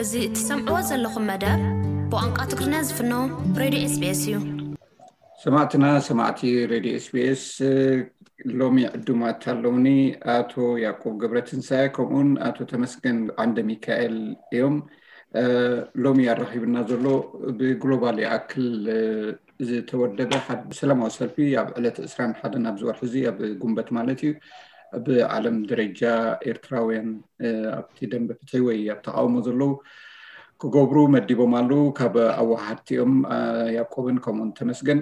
እዚ እትሰምዕዎ ዘለኹም መደብ ብቋንቋ ትግርኛ ዝፍኖ ሬድዮ ኤስቢኤስ እዩ። ሰማዕትና ሰማዕቲ ሬድዮ ኤስቢኤስ፣ ሎሚ ዕዱማት ኣለውኒ። ኣቶ ያዕቆብ ገብረትንሳኤ ከምኡውን ኣቶ ተመስገን ዓንደ ሚካኤል እዮም። ሎሚ ኣራኺብና ዘሎ ብግሎባል ይኣክል ዝተወደበ ሓደ ሰላማዊ ሰልፊ ኣብ ዕለት ዕስራን ሓደን ኣብዚ ወርሒ እዚ ኣብ ጉንበት ማለት እዩ፣ ብዓለም ደረጃ ኤርትራውያን ኣብቲ ደንበ ፍትሒ ወይ ኣብ ተቃውሞ ዘለዉ ክገብሩ መዲቦም ኣለዉ። ካብ ኣወሃድቲኦም ያዕቆብን ከምኡን ተመስገን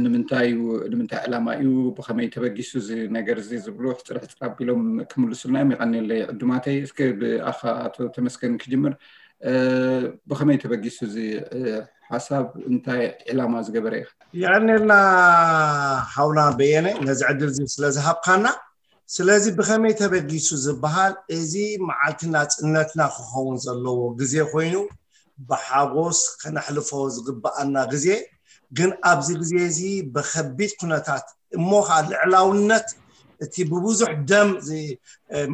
ንምንታይ እዩ፣ ንምንታይ ዕላማ እዩ፣ ብኸመይ ተበጊሱ እዚ ነገር እዚ ዝብሉ ሕፅር ሕፅር ኣቢሎም ክምልሱልና እዮም። የቐንየለይ ዕዱማተይ። እስከ ብኣኻ ኣቶ ተመስገን ክጅምር። ብኸመይ ተበጊሱ እዚ ሓሳብ፣ እንታይ ዕላማ ዝገበረ ኢኻ? የቐንየልና ሓውና በየነ ነዚ ዕድል እዚ ስለ ዝሃብካና። ስለዚ ብኸመይ ተበጊሱ ዝበሃል እዚ መዓልቲ ናፅነትና ክኸውን ዘለዎ ግዜ ኮይኑ ብሓጎስ ከነሕልፎ ዝግበኣና ግዜ፣ ግን ኣብዚ ግዜ እዚ ብኸቢድ ኩነታት እሞ ከዓ ልዕላውነት እቲ ብብዙሕ ደም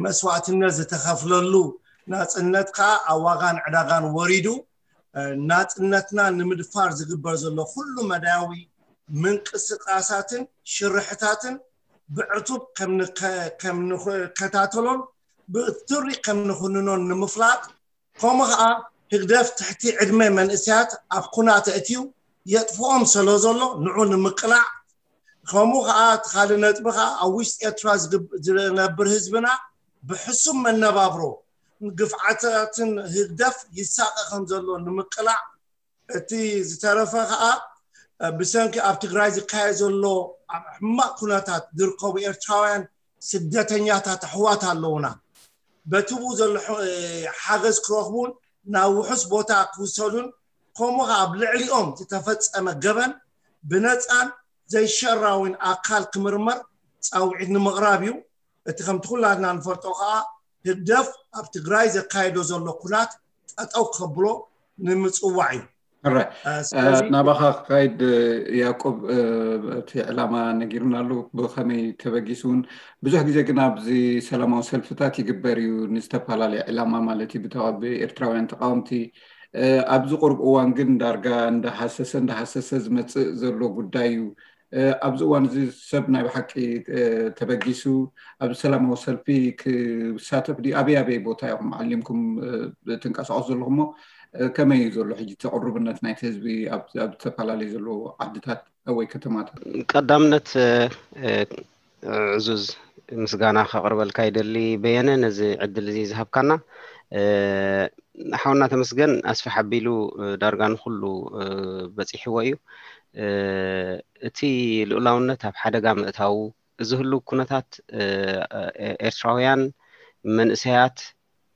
መስዋእትነት ዝተኸፍለሉ ናፅነት ከዓ ኣብ ዋጋን ዕዳጋን ወሪዱ ናፅነትና ንምድፋር ዝግበር ዘሎ ኩሉ መዳያዊ ምንቅስቃሳትን ሽርሕታትን ብዕቱብ ከም ንከታተሎን ብትሪ ከም ንኹንኖን ንምፍላጥ፣ ከምኡ ከዓ ህግደፍ ትሕቲ ዕድመ መንእሰያት ኣብ ኩናት ኣእትዩ የጥፍኦም ስለ ዘሎ ንዑ ንምቅላዕ፣ ከምኡ ከዓ እቲ ካልእ ነጥቢ ከዓ ኣብ ውሽጢ ኤርትራ ዝነብር ህዝብና ብሕሱም መነባብሮ ግፍዓታትን ህግደፍ ይሳቐ ከም ዘሎ ንምቅላዕ፣ እቲ ዝተረፈ ከዓ ብሰንኪ ኣብ ትግራይ ዝካየድ ዘሎ ኣብ ሕማቕ ኩነታት ዝርከቡ ኤርትራውያን ስደተኛታት ኣሕዋት ኣለውና። በቲ ብኡ ዘሎ ሓገዝ ክረኽቡን ናብ ውሑስ ቦታ ክውሰዱን ከምኡ ከዓ ኣብ ልዕሊኦም ዝተፈፀመ ገበን ብነፃን ዘይሸራዊን ኣካል ክምርመር ፃውዒት ንምቕራብ እዩ። እቲ ከምቲ ኩላትና ንፈልጦ ከዓ ህግደፍ ኣብ ትግራይ ዘካየዶ ዘሎ ኩናት ጠጠው ከብሎ ንምፅዋዕ እዩ። ናባኻ ክካይድ ያዕቆብ፣ እቲ ዕላማ ነጊሩና ኣሎ ብኸመይ ተበጊሱ እውን። ብዙሕ ግዜ ግን ኣብዚ ሰላማዊ ሰልፍታት ይግበር እዩ ንዝተፈላለየ ዕላማ ማለት እዩ፣ ብኤርትራውያን ተቃወምቲ። ኣብዚ ቁሩብ እዋን ግን ዳርጋ እንዳሃሰሰ እንዳሃሰሰ ዝመፅእ ዘሎ ጉዳይ እዩ። ኣብዚ እዋን እዚ ሰብ ናይ ብሓቂ ተበጊሱ ኣብ ሰላማዊ ሰልፊ ክሳተፍ ድዩ? ኣበይ ኣበይ ቦታ ኢኹም ዓሊምኩም ትንቀሳቀሱ ዘለኹም እሞ ከመይ እዩ ዘሎ ሕጂ ተቅርብነት ናይቲ ህዝቢ ኣብ ዝተፈላለዩ ዘለዎ ዓድታት ወይ ከተማታት? ቀዳምነት ዕዙዝ ምስጋና ከቅርበልካ ይደሊ በየነ፣ ነዚ ዕድል እዚ ዝሃብካና። ሓውና ተመስገን ኣስፍሕ ኣቢሉ ዳርጋ ንኩሉ በፂሕዎ እዩ። እቲ ልኡላውነት ኣብ ሓደጋ ምእታዉ፣ እዚ ህሉ ኩነታት ኤርትራውያን መንእሰያት፣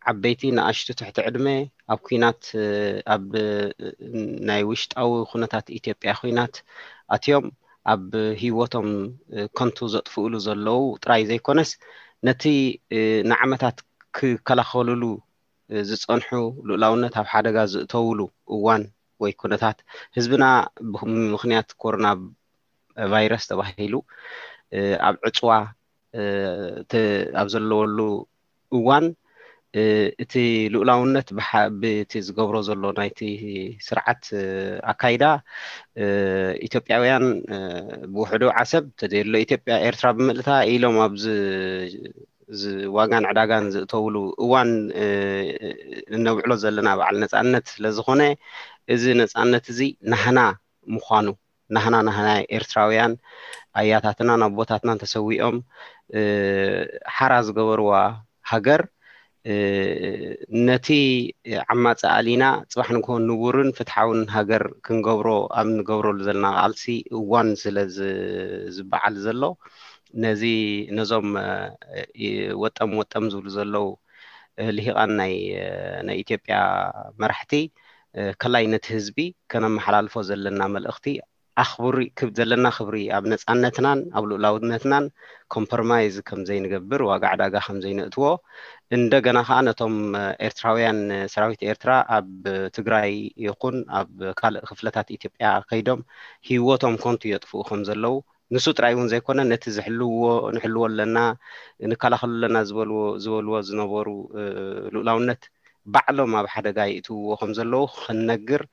ዓበይቲ ንኣሽቱ ትሕቲ ዕድመ ኣብ ኩናት፣ ኣብ ናይ ውሽጣዊ ኩነታት ኢትዮጵያ ኩናት ኣትዮም ኣብ ህይወቶም ከንቱ ዘጥፍእሉ ዘለዉ ጥራይ ዘይኮነስ፣ ነቲ ንዓመታት ክከላኸሉሉ ዝጸንሑ ልኡላውነት ኣብ ሓደጋ ዝእተውሉ እዋን ወይ ኩነታት፣ ህዝብና ብምኽንያት ኮሮና ቫይረስ ተባሂሉ ኣብ ዕጽዋ ኣብ ዘለወሉ እዋን፣ እቲ ልኡላውነት ብቲ ዝገብሮ ዘሎ ናይቲ ስርዓት ኣካይዳ፣ ኢትዮጵያውያን ብውሕዱ ዓሰብ ተዘየሎ ኢትዮጵያ ኤርትራ ብምልእታ ኢሎም ኣብዚ ዋጋን ዕዳጋን ዝእተውሉ እዋን እነብዕሎ ዘለና በዓል ነፃነት ስለዝኾነ፣ እዚ ነፃነት እዚ ናህና ምዃኑ፣ ናህና ናህና ኤርትራውያን ኣያታትናን ኣቦታትናን ተሰዊኦም ሓራ ዝገበርዋ ሃገር፣ ነቲ ዓማፂ ኣሊና ፅባሕ ንግሆ ንቡርን ፍትሓውን ሃገር ክንገብሮ ኣብ ንገብረሉ ዘለና ቃልሲ እዋን ስለ ዝበዓል ዘሎ፣ ነዚ ነዞም ወጠም ወጠም ዝብሉ ዘለዉ ልሂቃን ናይ ናይ ኢትዮጵያ መራሕቲ፣ ከላይ ነቲ ህዝቢ ከነመሓላልፎ ዘለና መልእኽቲ ኣኽብሪ ክብ ዘለና ክብሪ ኣብ ነፃነትናን ኣብ ልኡላውነትናን ኮምፕሮማይዝ ከም ዘይንገብር፣ ዋጋ ዕዳጋ ከም ዘይነእትዎ፣ እንደገና ከዓ ነቶም ኤርትራውያን ሰራዊት ኤርትራ ኣብ ትግራይ ይኹን ኣብ ካልእ ክፍለታት ኢትዮጵያ ከይዶም ህይወቶም ኮንቱ የጥፍኡ ከም ዘለዉ፣ ንሱ ጥራይ እውን ዘይኮነ ነቲ ዝሕልውዎ ንሕልዎ ኣለና ንከላኸሉ ኣለና ዝበልዎ ዝበልዎ ዝነበሩ ልኡላውነት ባዕሎም ኣብ ሓደጋ ይእትውዎ ከም ዘለዉ ክንነግር፣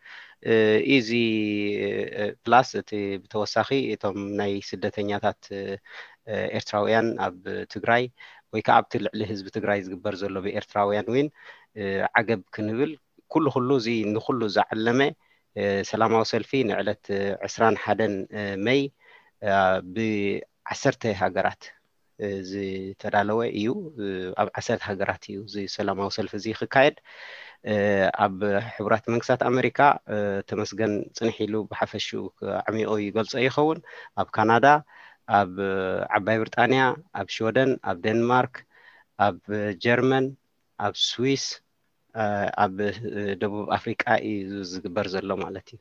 እዚ ፕላስ እቲ ብተወሳኺ እቶም ናይ ስደተኛታት ኤርትራውያን ኣብ ትግራይ ወይ ከዓ ኣብቲ ልዕሊ ህዝቢ ትግራይ ዝግበር ዘሎ ብኤርትራውያን እውን ዓገብ ክንብል፣ ኩሉ ኩሉ እዚ ንኩሉ ዝዓለመ ሰላማዊ ሰልፊ ንዕለት ዕስራን ሓደን መይ ብዓሰርተ ሃገራት ዝተዳለወ እዩ። ኣብ ዓሰርተ ሃገራት እዩ እዚ ሰላማዊ ሰልፊ እዚ ክካየድ። ኣብ ሕቡራት መንግስታት ኣመሪካ ተመስገን ጽንሕ ኢሉ ብሓፈሽኡ ኣዕሚቑ ይገልጾ ይኸውን። ኣብ ካናዳ፣ ኣብ ዓባይ ብሪጣንያ፣ ኣብ ሽወደን፣ ኣብ ዴንማርክ፣ ኣብ ጀርመን፣ ኣብ ስዊስ፣ ኣብ ደቡብ ኣፍሪቃ እዩ ዝግበር ዘሎ ማለት እዩ።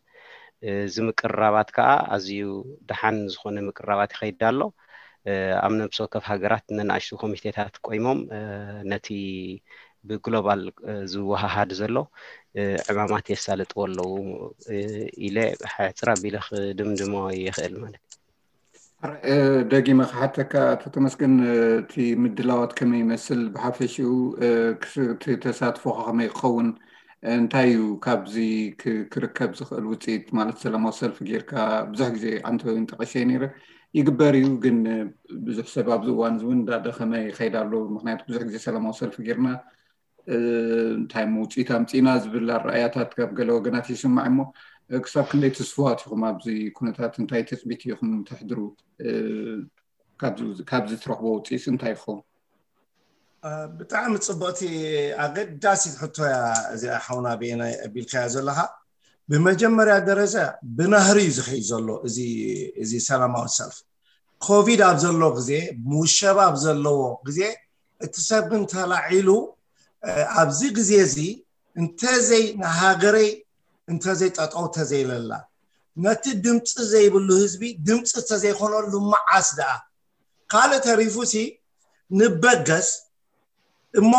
እዚ ምቅርራባት ከዓ ኣዝዩ ደሓን ዝኾነ ምቅርራባት ይኸይድ ኣሎ። ኣብ ነብሲ ወከፍ ሃገራት ነንኣሽቱ ኮሚቴታት ቆይሞም ነቲ ብግሎባል ዝወሃሃድ ዘሎ ዕማማት የሳልጥዎ ኣለዉ ኢለ ሕጽር ኣቢለ ክድምድሞ ይኽእል ማለት እዩ። ደጊመ ክሓተካ ኣቶ ተመስገን፣ እቲ ምድላዋት ከመይ ይመስል፣ ብሓፈሽኡ እቲ ተሳትፎ ከመይ ክኸውን፣ እንታይ እዩ ካብዚ ክርከብ ዝኽእል ውፅኢት ማለት ሰላማዊ ሰልፊ ጌርካ? ብዙሕ ግዜ ዓንተወይን ጠቐሸ ነይረ። ይግበር እዩ፣ ግን ብዙሕ ሰብ ኣብዚ እዋን እዚ እውን እንዳደኸመ ይኸይድ ኣሎ። ምክንያቱ ብዙሕ ግዜ ሰላማዊ ሰልፊ ጌርና እንታይ ውፅኢት ኣምፂእና ዝብል ኣረኣያታት ካብ ገለ ወገናት ይስማዕ እሞ፣ ክሳብ ክንደይ ትስፉዋት ኢኹም ኣብዚ ኩነታት? እንታይ ትፅቢት ኢኹም ተሕድሩ ካብዚ ትረኽቦ ውፅኢት እንታይ ይኸውን? ብጣዕሚ ፅቡቕቲ ኣገዳሲት ሕቶ እያ እዚኣ ሓውና ብየናይ ኣቢልካያ ዘለኻ። ብመጀመርያ ደረጃ ብናህሪ እዩ ዝኸይድ ዘሎ እዚ ሰላማዊ ሰልፍ። ኮቪድ ኣብ ዘሎ ግዜ፣ ምውሸባ ኣብ ዘለዎ ግዜ፣ እቲ ሰብ ግን ተላዒሉ ኣብዚ ግዜ እዚ እንተዘይ ንሃገረይ እንተዘይ ጠጠው ተዘይለላ፣ ነቲ ድምፂ ዘይብሉ ህዝቢ ድምፂ ተዘይኮነሉ መዓስ ደኣ? ካልእ ተሪፉ ሲ ንበገስ እሞ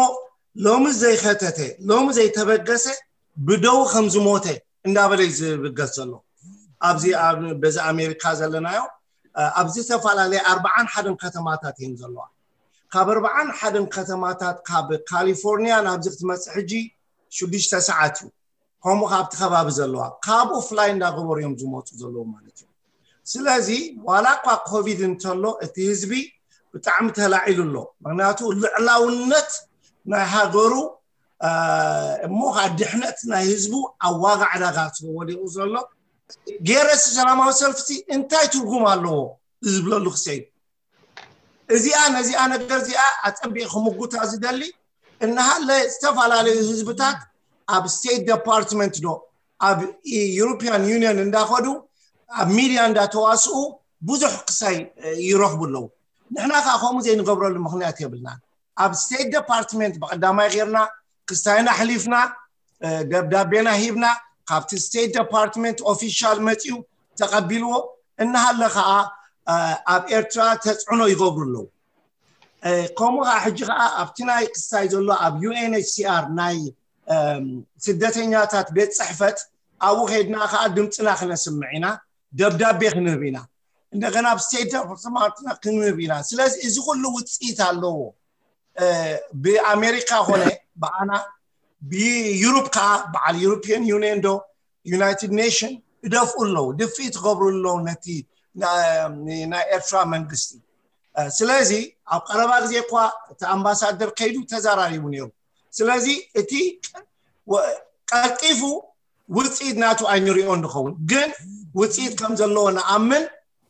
ሎሚ ዘይኸተተ፣ ሎሚ ዘይተበገሰ ብደው ከም ዝሞተ እንዳበለ እዩ ዝብገስ ዘሎ። ኣብዚ በዚ ኣሜሪካ ዘለናዮ ኣብ ዝተፈላለየ ኣርባዓን ሓደን ከተማታት እየን ዘለዋ። ካብ ኣርባዓን ሓደን ከተማታት ካብ ካሊፎርኒያ ናብዚ ክትመፅእ ሕጂ ሽዱሽተ ሰዓት እዩ። ከምኡ ካብቲ ከባቢ ዘለዋ ካብኡ ፍላይ እንዳገበሩ እዮም ዝመፁ ዘለዉ ማለት እዩ። ስለዚ ዋላ እኳ ኮቪድ እንተሎ እቲ ህዝቢ ብጣዕሚ ተላዒሉ ኣሎ። ምክንያቱ ልዕላውነት ናይ ሃገሩ እሞ ከዓ ድሕነት ናይ ህዝቡ ኣብ ዋጋ ዕዳጋ ወዲቑ ዘሎ ገይረሲ ሰላማዊ ሰልፍሲ እንታይ ትርጉም ኣለዎ ዝብለሉ ክሰይ እዚኣ ነዚኣ ነገር እዚኣ ኣፀቢቕ ክምጉታ ዝደሊ እናሃለ ዝተፈላለዩ ህዝብታት ኣብ ስቴት ዲፓርትመንት ዶ ኣብ ዩሮፒያን ዩኒየን እንዳኸዱ ኣብ ሚድያ እንዳተዋስኡ ብዙሕ ክሳይ ይረኽቡ ኣለዉ። ንሕና ከዓ ከምኡ ዘይንገብረሉ ምክንያት የብልናን። ኣብ ስቴት ዲፓርትመንት ብቀዳማይ ጌርና ክስታይና ኣሕሊፍና ደብዳቤና ሂብና ካብቲ ስቴት ዲፓርትመንት ኦፊሻል መፅዩ ተቐቢልዎ እናሃለ ከዓ ኣብ ኤርትራ ተፅዕኖ ይገብሩ ኣለዉ። ከምኡ ከዓ ሕጂ ከዓ ኣብቲ ናይ ክስታይ ዘሎ ኣብ ዩኤንኤችሲኣር ናይ ስደተኛታት ቤት ፅሕፈት ኣብኡ ከይድና ከዓ ድምፅና ክነስምዕ ኢና፣ ደብዳቤ ክንህብ ኢና፣ እንደገና ኣብ ስቴት ዲፓርትመንትና ክንህብ ኢና። ስለዚ እዚ ኩሉ ውፅኢት ኣለዎ። ብኣሜሪካ ኮነ ብኣና ብዩሮፕ ከዓ በዓል ዩሮፒያን ዩኒየን ዶ ዩናይትድ ኔሽን ይደፍኡ ኣለዉ፣ ድፍኢት ክገብሩ ኣለዉ ነቲ ናይ ኤርትራ መንግስቲ። ስለዚ ኣብ ቀረባ ግዜ እኳ እቲ ኣምባሳደር ከይዱ ተዘራሪቡ ነይሩ። ስለዚ እቲ ቀልጢፉ ውፅኢት ናቱ ኣይንሪኦ እንኸውን፣ ግን ውፅኢት ከም ዘለዎ ንኣምን።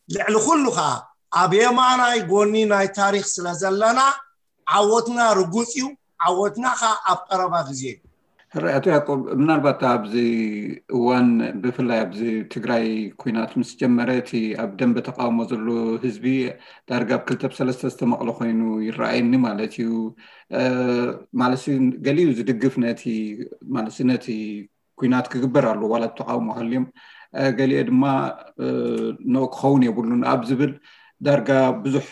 ልዕሊ ኩሉ ከዓ ኣብ የማናይ ጎኒ ናይ ታሪክ ስለ ዘለና ዓወትና ርጉፅ እዩ። ዓወትና ከዓ ኣብ ቀረባ ግዜ እዩ። ሕራይ ኣቶ ያቆብ፣ ምናልባት ኣብዚ እዋን ብፍላይ ኣብዚ ትግራይ ኩናት ምስ ጀመረ እቲ ኣብ ደንበ ተቃውሞ ዘሎ ህዝቢ ዳርጋ ኣብ ክልተ ብሰለስተ ዝተመቕለ ኮይኑ ይረኣየኒ ማለት እዩ። ማለት ገሊኡ ዝድግፍ ነቲ ማለት ነቲ ኩናት ክግበር ኣለዎ ዋላ ተቃውሞ ሃልዮም፣ ገሊኦ ድማ ኖ ክኸውን የብሉን ኣብ ዝብል ዳርጋ ብዙሕ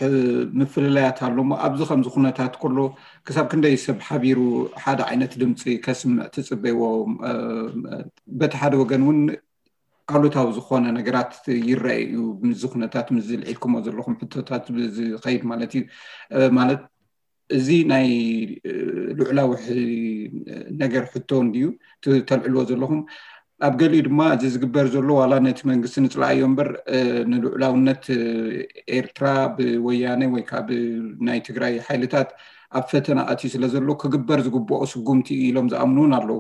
ምፍልላያት ኣሎ። እሞ ኣብዚ ከምዚ ኩነታት ከሎ ክሳብ ክንደይ ሰብ ሓቢሩ ሓደ ዓይነት ድምፂ ከስምዕ ትፅበይዎ? በቲ ሓደ ወገን እውን ኣሉታዊ ዝኾነ ነገራት ይረአ እዩ። ምዚ ኩነታት ምዚ ልዒልኩሞ ዘለኹም ሕቶታት ዝኸይድ ማለት እዩ። ማለት እዚ ናይ ልዑላዊ ነገር ሕቶ እንድዩ ተልዕልዎ ዘለኹም። ኣብ ገሊኡ ድማ እዚ ዝግበር ዘሎ ዋላ ነቲ መንግስቲ ንፅላኣዮ እምበር ንልዑላውነት ኤርትራ ብወያነ ወይ ከዓ ብናይ ትግራይ ሓይልታት ኣብ ፈተና ኣትዩ ስለ ዘሎ ክግበር ዝግብኦ ስጉምቲ ኢሎም ዝኣምኑ እውን ኣለዉ።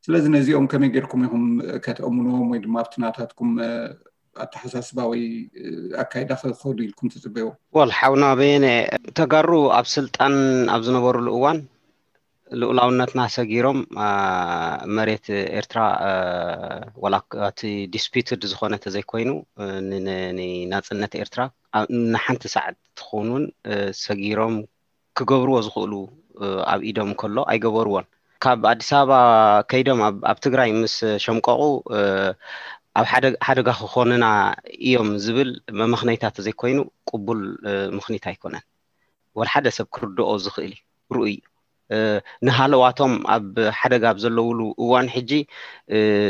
ስለዚ ነዚኦም ከመይ ጌርኩም ኢኹም ከተእምንዎም ወይ ድማ ኣብቲ ናታትኩም ኣተሓሳስባ ወይ ኣካይዳ ክኸዱ ኢልኩም ትፅበይዎ? ወል ሓውና በየነ፣ ተጋሩ ኣብ ስልጣን ኣብ ዝነበሩሉ እዋን ልኡላውነትና ሰጊሮም መሬት ኤርትራ ዋላ እቲ ዲስፒትድ ዝኾነ ተዘይኮይኑ ንናፅነት ኤርትራ ንሓንቲ ሰዓት ትኾኑን ሰጊሮም ክገብርዎ ዝኽእሉ ኣብ ኢዶም ከሎ ኣይገበርዎን። ካብ ኣዲስ ኣበባ ከይዶም ኣብ ትግራይ ምስ ሸምቀቑ ኣብ ሓደጋ ክኾንና እዮም ዝብል መመኽነይታ ተዘይኮይኑ ቅቡል ምኽኒት ኣይኮነን። ወላ ሓደ ሰብ ክርድኦ ዝኽእል እዩ፣ ርኡይ እዩ። ንሃለዋቶም ኣብ ሓደጋ ኣብ ዘለውሉ እዋን ሕጂ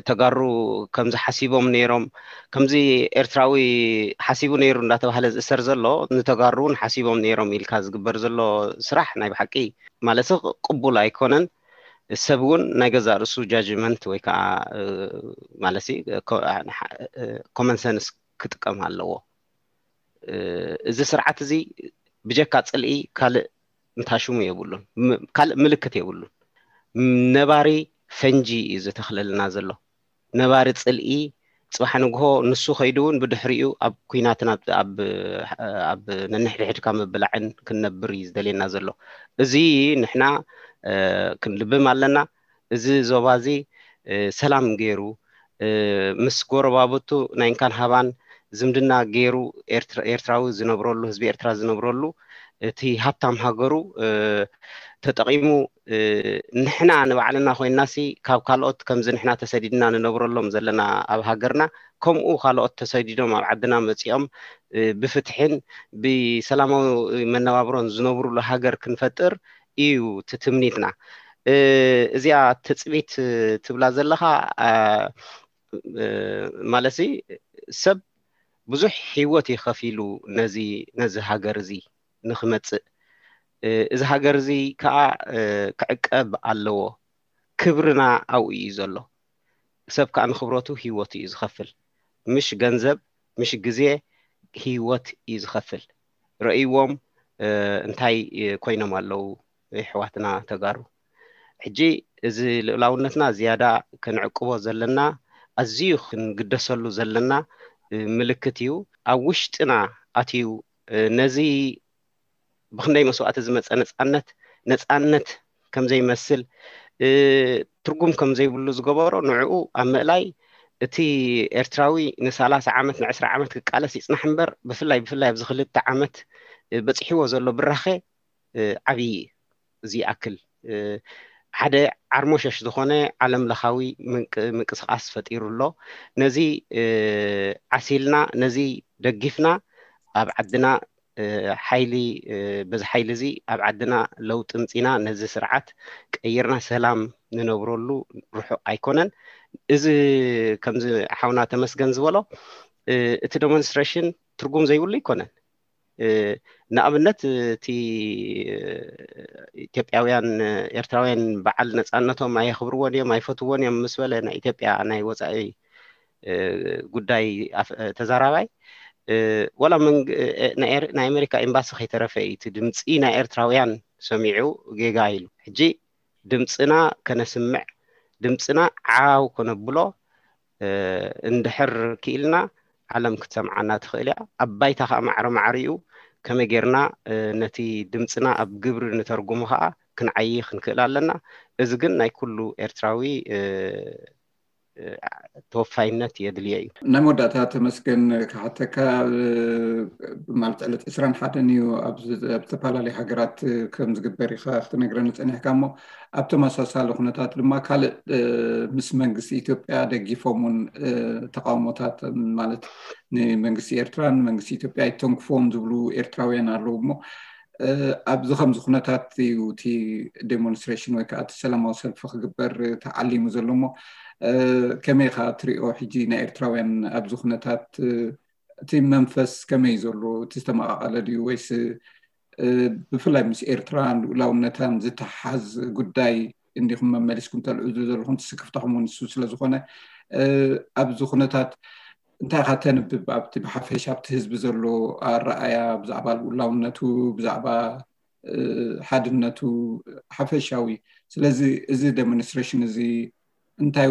ተጋሩ ከምዚ ሓሲቦም ነይሮም፣ ከምዚ ኤርትራዊ ሓሲቡ ነይሩ እንዳተባህለ ዝእሰር ዘሎ ንተጋሩ እውን ሓሲቦም ነይሮም ኢልካ ዝግበር ዘሎ ስራሕ ናይ ብሓቂ ማለት ቅቡል ኣይኮነን። ሰብ እውን ናይ ገዛእ ርእሱ ጃጅመንት ወይ ከዓ ማለት ኮመን ሰንስ ክጥቀም ኣለዎ። እዚ ስርዓት እዚ ብጀካ ፅልኢ ካልእ ምታሽሙ የብሉን፣ ካልእ ምልክት የብሉን። ነባሪ ፈንጂ እዩ ዝተኽለልና ዘሎ፣ ነባሪ ፅልኢ። ፅባሕ ንግሆ ንሱ ከይዱ እውን ብድሕሪኡ ኣብ ኩናትን ኣብ ነንሕድሕድካ ምብላዕን ክንነብር እዩ ዝደልየና ዘሎ። እዚ ንሕና ክንልብም ኣለና። እዚ ዞባ እዚ ሰላም ገይሩ ምስ ጎረባብቱ ናይ እንካን ሃባን ዝምድና ገይሩ ኤርትራዊ ዝነብረሉ፣ ህዝቢ ኤርትራ ዝነብረሉ፣ እቲ ሃብታም ሃገሩ ተጠቒሙ ንሕና ንባዕልና ኮይንናሲ ካብ ካልኦት ከምዚ ንሕና ተሰዲድና ንነብረሎም ዘለና ኣብ ሃገርና ከምኡ ካልኦት ተሰዲዶም ኣብ ዓድና መፂኦም ብፍትሕን ብሰላማዊ መነባብሮን ዝነብሩሉ ሃገር ክንፈጥር እዩ ትትምኒትና። እዚኣ ትፅቢት ትብላ ዘለኻ ማለት ሰብ ብዙሕ ህይወት እዩ ከፊሉ ነዚ ነዚ ሃገር እዚ ንክመፅእ። እዚ ሃገር እዚ ከዓ ክዕቀብ ኣለዎ። ክብርና ኣብኡ እዩ ዘሎ። ሰብ ከዓ ንክብረቱ ህይወቱ እዩ ዝኸፍል። ምሽ ገንዘብ፣ ምሽ ግዜ፣ ህይወት እዩ ዝኸፍል። ረእይዎም እንታይ ኮይኖም ኣለዉ ኣሕዋትና ተጋሩ። ሕጂ እዚ ልኡላውነትና ዝያዳ ክንዕቅቦ ዘለና፣ ኣዝዩ ክንግደሰሉ ዘለና ምልክት እዩ። ኣብ ውሽጥና ኣትዩ ነዚ ብክንደይ መስዋእቲ ዝመፀ ነፃነት ነፃነት ከምዘይመስል ትርጉም ከምዘይብሉ ዝገበሮ ንዕኡ ኣብ ምእላይ እቲ ኤርትራዊ ንሰላሳ ዓመት ንዕስራ ዓመት ክቃለስ ይፅናሕ እምበር ብፍላይ ብፍላይ ኣብዚ ክልተ ዓመት በፂሕዎ ዘሎ ብራኸ ዓብዪ እዩ። እዚ ይኣክል ሓደ ዓርሞሸሽ ዝኾነ ዓለም ለኻዊ ምንቅስቃስ ፈጢሩ ኣሎ። ነዚ ዓሲልና ነዚ ደጊፍና ኣብ ዓድና ሓይሊ በዚ ሓይሊ እዚ ኣብ ዓድና ለውጢ ምፂና ነዚ ስርዓት ቀይርና ሰላም ንነብረሉ ርሑቕ ኣይኮነን። እዚ ከምዚ ሓውና ተመስገን ዝበሎ እቲ ዴሞንስትሬሽን ትርጉም ዘይብሉ ኣይኮነን። ንኣብነት እቲ ኢትዮጵያውያን ኤርትራውያን በዓል ነፃነቶም ኣየኽብርዎን እዮም ኣይፈትዎን እዮም ምስ በለ ናይ ኢትዮጵያ ናይ ወፃኢ ጉዳይ ተዛራባይ ዋላ ናይ ኣሜሪካ ኤምባሲ ከይተረፈ እዩ እቲ ድምፂ ናይ ኤርትራውያን ሰሚዑ ጌጋ ኢሉ። ሕጂ ድምፅና ከነስምዕ ድምፅና ዓው ከነብሎ እንድሕር ክኢልና ዓለም ክትሰምዓና ትኽእል እያ። ኣብ ባይታ ከዓ ማዕረ ማዕሪኡ ከመይ ጌርና ነቲ ድምፅና ኣብ ግብሪ ንተርጉሞ ከዓ ክንዓይ ክንክእል ኣለና። እዚ ግን ናይ ኩሉ ኤርትራዊ ተወፋይነት የድልዮ እዩ። ናይ መወዳእታ ተመስገን ክሓተካ ማለት ዕለት ዕስራን ሓደን እዩ ኣብ ዝተፈላለዩ ሃገራት ከም ዝግበር ኢኻ ክትነግረኒ ፀኒሕካ እሞ ኣብ ተመሳሳሊ ኩነታት ድማ ካልእ ምስ መንግስቲ ኢትዮጵያ ደጊፎም እውን ተቃውሞታት ማለት ንመንግስቲ ኤርትራን መንግስቲ ኢትዮጵያ ኣይተንክፎም ዝብሉ ኤርትራውያን ኣለዉ እሞ ኣብዚ ከምዚ ኩነታት እዩ እቲ ዴሞንስትሬሽን ወይ ከዓ እቲ ሰላማዊ ሰልፊ ክግበር ተዓሊሙ ዘሎ እሞ ከመይ ኢኻ ትሪኦ ሕጂ ናይ ኤርትራውያን ኣብዚ ኩነታት እቲ መንፈስ ከመይ ዘሎ እቲ ዝተመቃቀለ ድዩ ወይስ ብፍላይ ምስ ኤርትራን ልኡላውነታን ዝተሓዝ ጉዳይ እንዲኹም መመሊስኩም ተልዕዙ ዘለኹም ትስክፍታኹም እውን ንሱ ስለዝኾነ ኣብዚ ኩነታት እንታይ ኢኻ ተንብብ ኣብቲ ብሓፈሻ ኣብቲ ህዝቢ ዘሎ ኣረኣያ ብዛዕባ ልኡላውነቱ ብዛዕባ ሓድነቱ ሓፈሻዊ? ስለዚ እዚ ዴሞንስትሬሽን እዚ እንታይ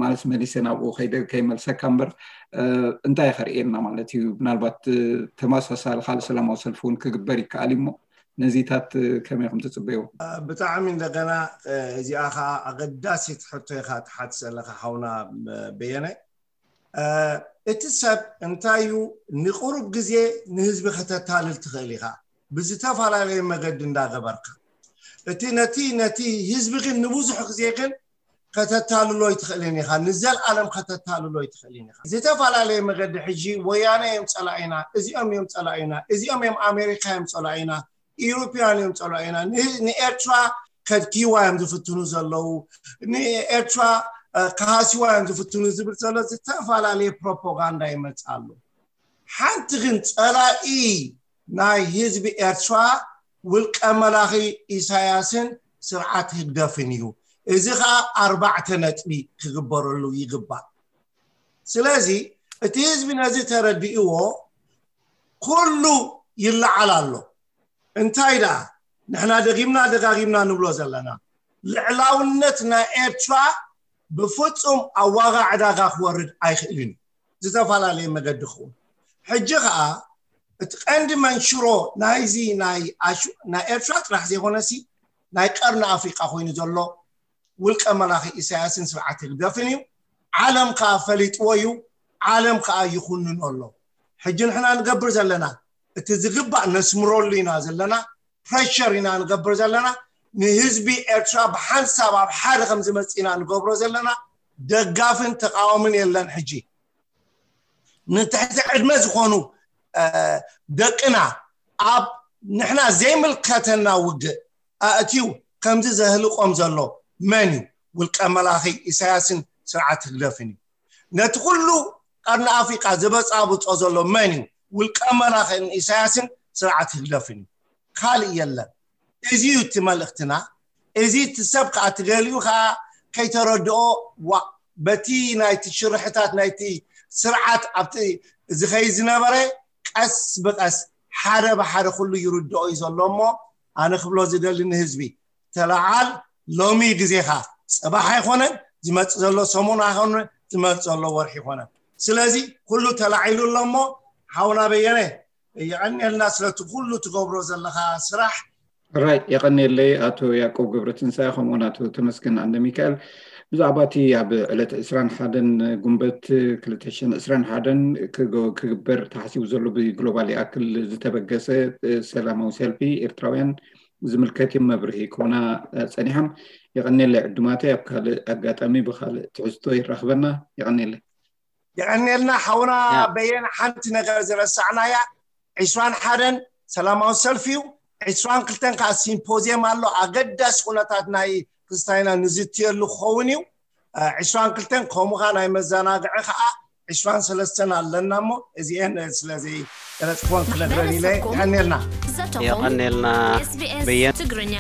ማለት መሊሰ ናብኡ ከይደ ከይመልሰካ እምበር እንታይ ከርእየና ማለት እዩ? ምናልባት ተመሳሳሊ ካልእ ሰላማዊ ሰልፊ እውን ክግበር ይከኣል እዩ እሞ ነዚታት ከመይ ከም ትፅበይዎ? ብጣዕሚ እንደገና እዚኣ ከዓ ኣገዳሲት ሕቶ ኢካ ትሓት ዘለካ ሓውና በየነ። እቲ ሰብ እንታይ እዩ ንቁሩብ ግዜ ንህዝቢ ከተታልል ትኽእል ኢኻ ብዝተፈላለየ መገዲ እንዳገበርካ እቲ ነቲ ነቲ ህዝቢ ግን ንብዙሕ ግዜ ግን ከተታልሎ ይትኽእልን ኢኻ ንዘልኣለም ከተታልሎ ይትኽእልን ኢኻ ዝተፈላለየ መገዲ ሕጂ ወያነ እዮም ፀላኢና እዚኦም እዮም ፀላኢና እዚኦም እዮም ኣሜሪካ እዮም ፀላኢና ኢሮፓውያን እዮም ፀላኢና ንኤርትራ ከድኪዋ እዮም ዝፍትኑ ዘለዉ ንኤርትራ ከሃሲዋ እዮም ዝፍትኑ ዝብል ዘሎ ዝተፈላለየ ፕሮፓጋንዳ ይመፅእ ኣሎ ሓንቲ ግን ፀላኢ ናይ ህዝቢ ኤርትራ ውልቀ መላኺ ኢሳያስን ስርዓት ህግደፍን እዩ እዚ ከዓ ኣርባዕተ ነጥቢ ክግበረሉ ይግባእ ስለዚ እቲ ህዝቢ ነዚ ተረዲእዎ ኩሉ ይለዓል ኣሎ እንታይ ደኣ ንሕና ደጊምና ደጋጊምና ንብሎ ዘለና ልዕላውነት ናይ ኤርትራ ብፍጹም ኣብ ዋጋ ዕዳጋ ክወርድ ኣይኽእልን እዩ ዝተፈላለየ መገዲ ክውን ሕጂ ከዓ እቲ ቀንዲ መንሽሮ ናይዚ ናይ ኤርትራ ጥራሕ ዘይኮነሲ ናይ ቀርኒ ኣፍሪቃ ኮይኑ ዘሎ ውልቀ መላኺ ኢሳያስን ስርዓት ህግደፍን እዩ ዓለም ከዓ ፈሊጥዎ እዩ ዓለም ከዓ ይኹንኖ ኣሎ ሕጂ ንሕና ንገብር ዘለና እቲ ዝግባእ ነስምረሉ ኢና ዘለና ፕሬሸር ኢና ንገብር ዘለና ንህዝቢ ኤርትራ ብሓንሳብ ኣብ ሓደ ከም ዝመፅእ ኢና ንገብሮ ዘለና ደጋፍን ተቃወምን የለን ሕጂ ንትሕቲ ዕድመ ዝኾኑ ደቅና ኣብ ንሕና ዘይምልከተና ውግእ ኣእትዩ ከምዚ ዘህልቆም ዘሎ መን እዩ ውልቀ መላኺ ኢሳያስን ስርዓት ህግደፍን እዩ ነቲ ኩሉ ቀርኒ ኣፍሪቃ ዝበፃብፆ ዘሎ መን እዩ ውልቀ መላኽን ኢሳያስን ስርዓት ህግደፍን እዩ ካልእ የለን እዚ እዩ እቲ መልእክትና እዚ እቲ ሰብ ከዓ ትገሊኡ ከዓ ከይተረድኦ ዋ በቲ ናይቲ ሽርሕታት ናይቲ ስርዓት ኣብቲ ዝኸይ ዝነበረ ቀስ ብቀስ ሓደ ብሓደ ኩሉ ይርድኦ እዩ ዘሎ እሞ ኣነ ክብሎ ዝደሊ ንህዝቢ ተለዓል ሎሚ ግዜኻ ፅባሕ ኣይኮነን ዝመፅእ ዘሎ ሰሙን ኣይኮነ ዝመፅእ ዘሎ ወርሒ ይኮነን ስለዚ ኩሉ ተላዒሉ ኣሎ እሞ ሓውና በየነ የቐንየልና ስለቲ ኩሉ ትገብሮ ዘለኻ ስራሕ ራይ የቐንየለይ ኣቶ ያቆብ ገብረትንሳኤ ከምኡውን ኣቶ ተመስገን ኣንደ ሚካኤል ብዛዕባ እቲ ኣብ ዕለት ዕስራን ሓደን ጉንበት ክልተ ሽሕን ዕስራን ሓደን ክግበር ተሓሲቡ ዘሎ ብግሎባል ይኣክል ዝተበገሰ ሰላማዊ ሰልፊ ኤርትራውያን ዝምልከት እዮም መብርሂ ክኾና ፀኒሖም። የቐንየለይ ዕዱማተይ፣ ኣብ ካልእ ኣጋጣሚ ብኻልእ ትሕዝቶ ይራኽበና። የቐንየለይ። የቐንየልና ሓውና በየነ። ሓንቲ ነገር ዝረሳዕናያ፣ ዕስራን ሓደን ሰላማዊ ሰልፊ እዩ፣ ዕስራን ክልተን ከዓ ሲምፖዝየም ኣሎ፣ ኣገዳሲ ኩነታት ናይ ክስታይና ንዝትየሉ ክኸውን እዩ። ዕስራን ክልተን ከምኡ ከዓ ናይ መዘናግዒ ከዓ ዕስራን ሰለስተን ኣለና እሞ እዚኤን ስለዘይገለፅክወን ክነግረን ኢለ። የቐንየልና። ዘተኹም የቐንየልና። SBS በየን። ትግርኛ።